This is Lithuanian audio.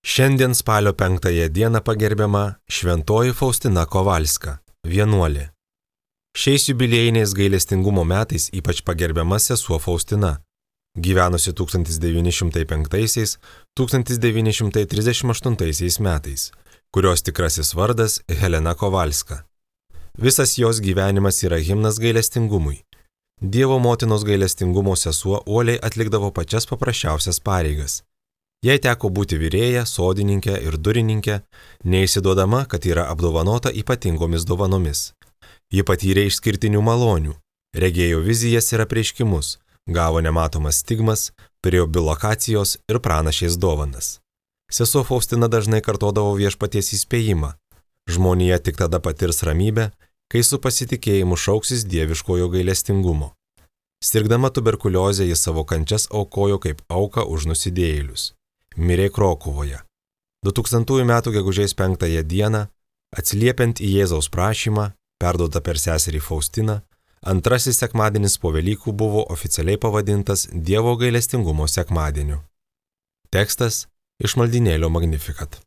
Šiandien spalio 5 dieną pagerbiama Šventoji Faustina Kovalska, vienuolė. Šiais jubiliejiniais gailestingumo metais ypač pagerbiama sesuo Faustina, gyvenusi 1905–1938 metais, kurios tikrasis vardas Helena Kovalska. Visas jos gyvenimas yra himnas gailestingumui. Dievo motinos gailestingumo sesuo uoliai atlikdavo pačias paprasčiausias pareigas. Jai teko būti virėja, sodininkė ir durininkė, neįsiduodama, kad yra apdovanota ypatingomis dovanomis. Ji patyrė išskirtinių malonių, regėjo vizijas ir apreiškimus, gavo nematomas stigmas, turėjo bilokacijos ir pranašės dovanas. Sesuo Faustina dažnai kartodavo viešpaties įspėjimą. Žmonija tik tada patirs ramybę, kai su pasitikėjimu šauksis dieviškojo gailestingumo. Sirgdama tuberkuliozę ji savo kančias aukojo kaip auką už nusidėjėlius. Mirė Krokuvoje. 2000 m. gegužės 5 dieną, atsiliepiant į Jėzaus prašymą, perduotą per seserį Faustiną, antrasis sekmadienis po Velykų buvo oficialiai pavadintas Dievo gailestingumo sekmadieniu. Tekstas iš maldynėlio Magnificat.